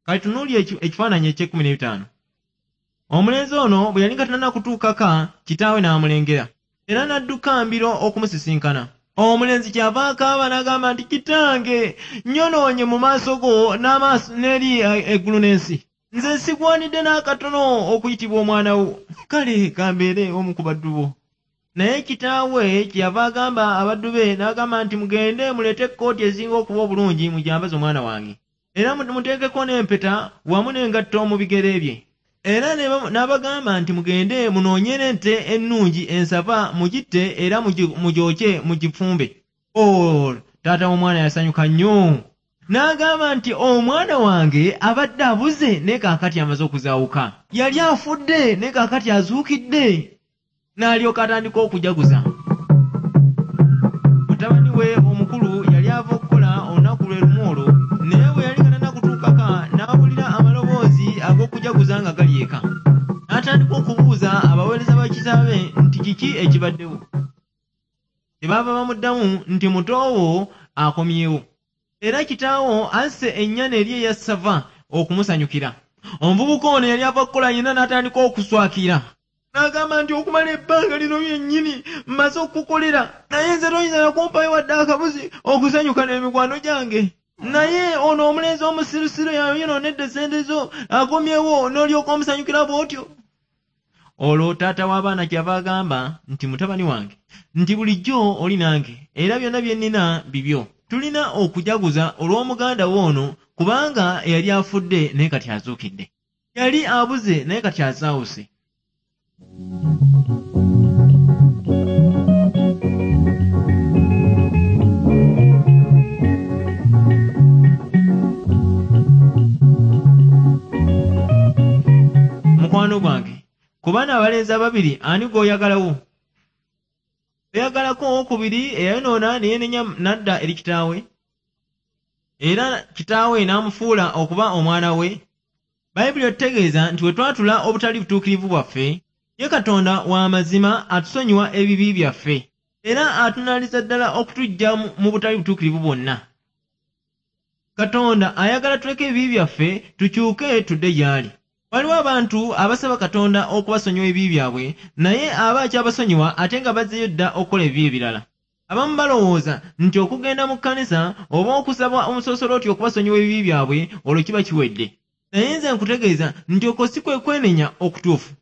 Kati tunuulira ekifaananyi eky'ekkumi n'ebitaano. Omulenzi ono bwe yali nga tanna kutuukaka, kitaawe n'amulengera era n'adduka mbiro okumusisinkana. Omulenzi kyava akaaba n'agamba nti, "Kitange, nnyonoonye mu maaso go n'amaaso n'eri eggulu n'ensi. Nze sigwanidde n'akatono okuyitibwa omwana wo. Kale kambeere omu ku baddu bo." Naye kitaawe kyeyava agamba abaddu be n'agamba nti, "Mugende muleete ekkooti ezinga okuba obulungi, mugyambaze omwana wange, era muteekeko n'empeta wamu n'engatto mu bigere bye." Era n'abagamba nti, "Mugende munoonye n'ente ennungi ensava, mugitte era mugyokye, mugifumbe." O, taata w'omwana yasanyuka nnyo n'agamba nti, "Omwana wange abadde abuze, naye kaakati amaze okuzaawuka. Yali afudde, naye kaakati azuukidde." N'alyoka atandika okujaguza. Mutabani we omukulu yali ava okukola olunaku lwe lumu olwo, naye bwe yali nga tannakutuukaka, n'awulira amaloboozi ag'okujaguza nga gali eka. N'atandika okubuuza abaweereza ba kitaawe nti kiki ekibaddewo. Kyebaava bamuddamu nti, "Mutoowo akomyewo, era kitaawo asse ennyana eri eya ssava okumusanyukira." Omuvubuka ono yali ava kukola yenna n'atandika okuswakira n'agamba nti, "Okumala ebbanga lino lyennyini mmaze okukukolera, naye nze toyinza nakumpayo wadde akabuzi okusanyuka n'emikwano gyange. Naye ono omulenzi omusirusiru yayonoonedde sente zo akomyewo, n'olyoka omusanyukira bw'otyo." Olwo taata w'abaana kyava agamba nti, "Mutabani wange," nti, "bulijjo oli nange, era byonna bye nnina bibyo. Tulina okujaguza olw'omuganda wo ono, kubanga eyali afudde naye kati azuukidde, yali abuze naye kati azaawuse." Mukwano gwange, ku baana abalenzi ababiri, ani gw'oyagalawo? Oyagalako owokubiri eyayonoona ne yeenenya n'adda eri kitaawe, era kitaawe n'amufuula okuba omwana we? Bayibuli etutegeeza nti bwe twatula obutali butuukirivu bwaffe, ye Katonda wa mazima atusonyiwa ebibi byaffe era atunaaliza ddala okutuggya mu butali butuukirivu bwonna. Katonda ayagala tuleke ebibi byaffe, tukyuke tudde gy'ali. Waliwo abantu abasaba Katonda okubasonyiwa ebibi byabwe, naye aba akyabasonyiwa ate nga bazzeeyo dda okukola ebibi ebirala. Abamu balowooza nti okugenda mu kkanisa oba okusaba omusoosolooti okubasonyiwa ebibi byabwe, olwo kiba kiwedde. Naye nze nkutegeeza nti okwo si kwe kwenenya okutuufu.